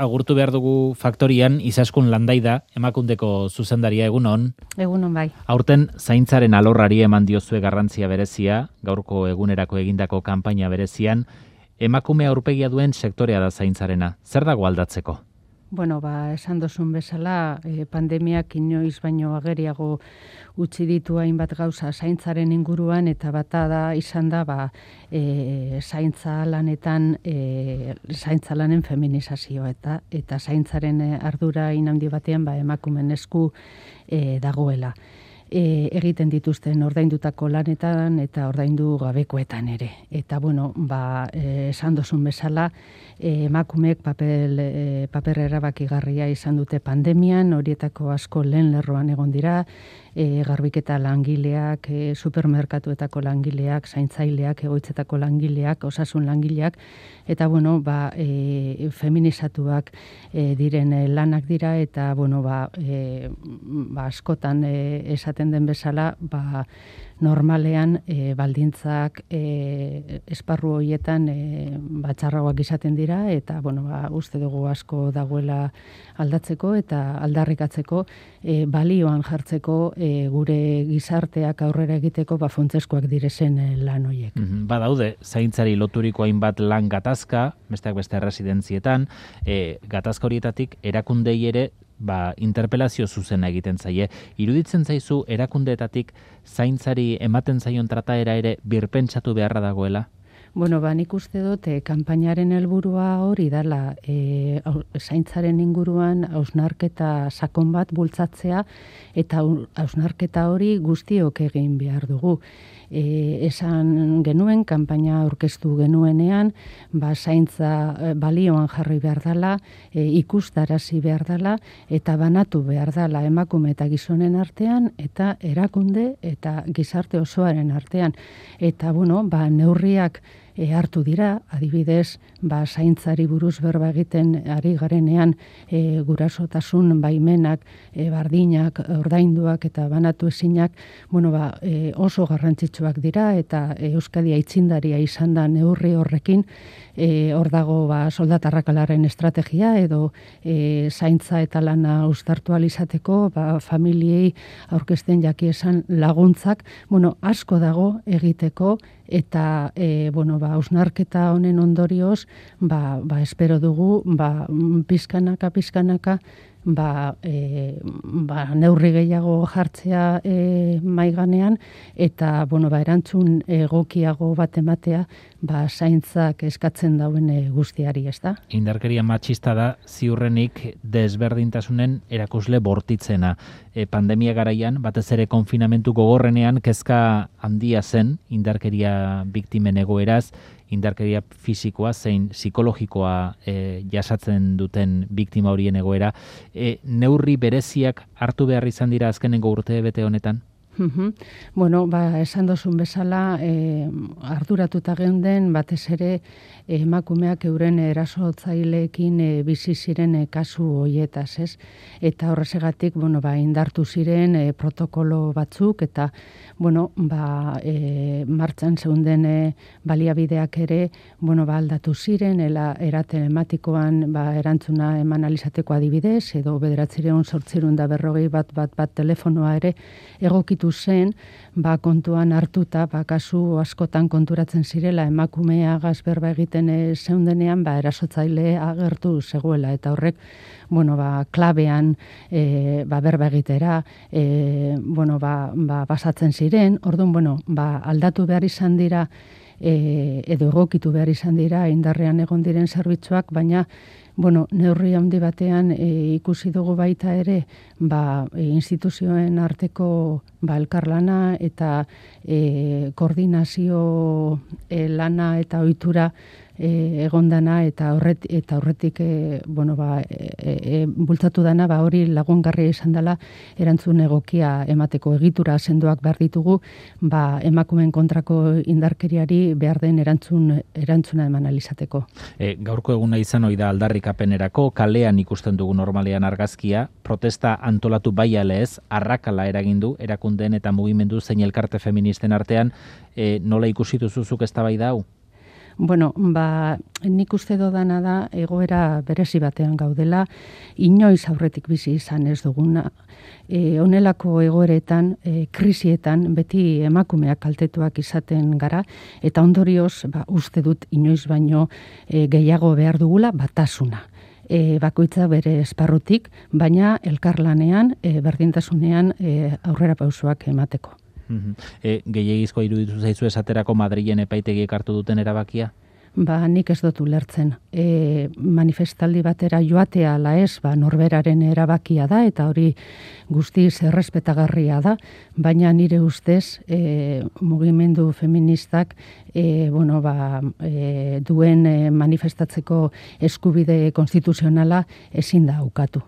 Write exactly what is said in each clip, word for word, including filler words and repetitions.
agurtu behar dugu faktorian, Izaskun Landaida, Emakundeko zuzendaria, egunon. Egunon bai. Aurten zaintzaren alorrari eman diozue garrantzia berezia, gaurko egunerako egindako kanpaina berezian, emakume aurpegia duen sektorea da zaintzarena. Zer dago aldatzeko? Bueno, ba, esan dozun bezala, eh, pandemiak inoiz baino ageriago utzi ditu hainbat gauza zaintzaren inguruan, eta bata da izan da, ba, e, zaintza lanetan, e, zaintza lanen feminizazioa, eta eta zaintzaren ardura inaundi batean, ba, emakumen esku e, dagoela. E, egiten dituzten ordaindutako lanetan eta ordaindu gabekoetan ere. Eta, bueno, ba, e, esan dozun bezala, e, emakumeek papel, e, paper erabakigarria izan dute pandemian, horietako asko lehen lerroan egon dira, e, garbiketa langileak, e, supermerkatuetako langileak, zaintzaileak, egoitzetako langileak, osasun langileak, eta, bueno, ba, e, feminizatuak e, diren e, lanak dira, eta, bueno, ba, e, ba askotan e, esaten den bezala, ba, normalean e, baldintzak e, esparru horietan e, batxarragoak izaten dira, eta, bueno, ba, uste dugu asko dagoela aldatzeko eta aldarrikatzeko, e, balioan jartzeko e, gure gizarteak aurrera egiteko ba, funtzeskoak direzen e, lan horiek. Mm-hmm. Badaude, zaintzari loturiko hainbat lan gatazka, besteak beste residentzietan, e, gatazka horietatik erakundei ere ba, interpelazio zuzena egiten zaie. Iruditzen zaizu erakundeetatik zaintzari ematen zaion trataera ere birpentsatu beharra dagoela? Bueno, ba, nik uste dut, e, kanpainaren helburua hori dala, e, zaintzaren inguruan hausnarketa sakon bat bultzatzea, eta hausnarketa hori guztiok egin behar dugu. E, esan genuen, kanpaina aurkeztu genuenean, ba, zaintza e, balioan jarri behar dela, e, ikustarazi behar dela, eta banatu behar dela emakume eta gizonen artean, eta erakunde eta gizarte osoaren artean. Eta, bueno, ba, neurriak E, hartu dira, adibidez, ba, zaintzari buruz berba egiten ari garenean e, gurasotasun baimenak, e, bardinak, ordainduak eta banatu ezinak, bueno, ba, e, oso garrantzitsuak dira, eta e, Euskadi aitzindaria izan da neurri horrekin, e, hor dago ba, soldatarrakalaren estrategia, edo e, zaintza eta lana uztartu alizateko, ba, familiei aurkezten jaki esan laguntzak, bueno, asko dago egiteko, eta e, bueno, ba, hausnarketa honen ondorioz, ba, ba, espero dugu, ba, pizkanaka, pizkanaka, ba, e, ba, neurri gehiago jartzea e, maiganean, eta, bueno, ba, erantzun egokiago bat ematea, ba, zaintzak eskatzen dauen e, guztiari, ez da? Indarkeria matxista da ziurrenik desberdintasunen erakusle bortitzena. E, pandemia garaian, batez ere konfinamentu gogorrenean, kezka handia zen indarkeria biktimen egoeraz, indarkeria fisikoa zein psikologikoa e, jasatzen duten biktima horien egoera. E, neurri bereziak hartu behar izan dira azkenengo urte bete honetan? Uhum. Bueno, ba, esan dozun bezala, eh, arduratuta geunden, batez ere emakumeak euren erasotzaileekin e, bizi ziren e, kasu hoietaz, ez? Eta horrezegatik, bueno, ba, indartu ziren e, protokolo batzuk, eta, bueno, ba, e, martxan zeunden e, baliabideak ere, bueno, ba, aldatu ziren, ela, era telematikoan ba, erantzuna eman alizateko adibidez, edo bederatzireun sortzirun da berrogei bat bat bat telefonoa ere egokitu zen, ba, kontuan hartuta, ba, kasu askotan konturatzen zirela emakumea berba egiten e, zeundenean, ba, erasotzaile agertu zegoela, eta horrek, bueno, ba, klabean e, ba, berba egitera, e, bueno, ba, ba, basatzen ziren, orduan, bueno, ba, aldatu behar izan dira, e, edo egokitu behar izan dira, indarrean egon diren zerbitzuak, baina, bueno, neurri handi batean e, ikusi dugu baita ere, ba, e, instituzioen arteko ba, elkarlana eta e, koordinazio e, lana eta ohitura e, egondana eta horret, eta horretik e, bueno, ba, e, e, bultzatu dana ba, hori lagungarria izan dela erantzun egokia emateko egitura sendoak behar ditugu ba, emakumeen kontrako indarkeriari behar den erantzun, erantzuna eman alizateko. E, gaurko eguna izan ohi da aldarrikapenerako, kalean ikusten dugu normalean argazkia, protesta antolatu bai ala ez, arrakala eragindu erakundeen eta mugimendu zein elkarte feministen artean, e, nola ikusi duzuzuk eztabaida hau? Bueno, ba, nik uste dodana da egoera berezi batean gaudela, inoiz aurretik bizi izan ez duguna. E, honelako egoeretan, e, krisietan, beti emakumeak kaltetuak izaten gara, eta ondorioz, ba, uste dut inoiz baino e, gehiago behar dugula batasuna. E, bakoitza bere esparrutik, baina elkarlanean, e, berdintasunean e, aurrera pausoak emateko. E, gehiagizkoa iruditu zaizu esaterako Madrilen epaitegiek hartu duten erabakia? Ba, nik ez dut ulertzen. E, manifestaldi batera joatea ala ez, ba, norberaren erabakia da, eta hori guztiz errespetagarria da, baina nire ustez e, mugimendu feministak e, bueno, ba, e, duen e, manifestatzeko eskubide konstituzionala ezin da ukatu.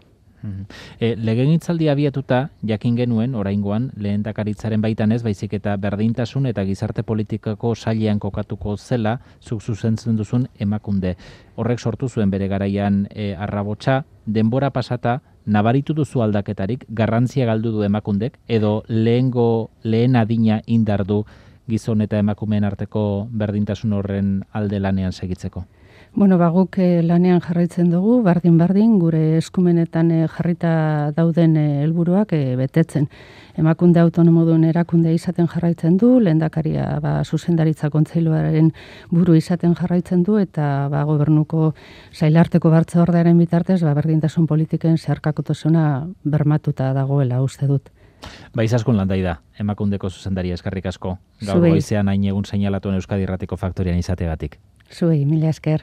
E, Legegintzaldi abiatuta, jakin genuen, oraingoan, lehendakaritzaren baitan ez, baizik eta berdintasun eta gizarte politikako sailean kokatuko zela, zuk zuzentzen duzun emakunde. Horrek sortu zuen bere garaian e, arrabotsa, denbora pasata, nabaritu duzu aldaketarik, garrantzia galdu du emakundek, edo lehengo, lehen adina indar du gizon eta emakumeen arteko berdintasun horren alde lanean segitzeko? Bueno, ba, guk lanean jarraitzen dugu, bardin-bardin, gure eskumenetan jarrita dauden helburuak betetzen. Emakunde autonomo duen erakunde izaten jarraitzen du, lehendakaria ba, zuzendaritza kontseiluaren buru izaten jarraitzen du, eta ba, gobernuko sailarteko batzordearen bitartez, ba, berdintasun politiken zeharkakotasuna bermatuta dagoela uste dut. Ba, izaskun landai da, emakundeko zuzendaria eskerrik asko. Gaur goizean hain egun seinalatuan Euskadi Irratiko Faktorian izategatik. Zuei, mila esker.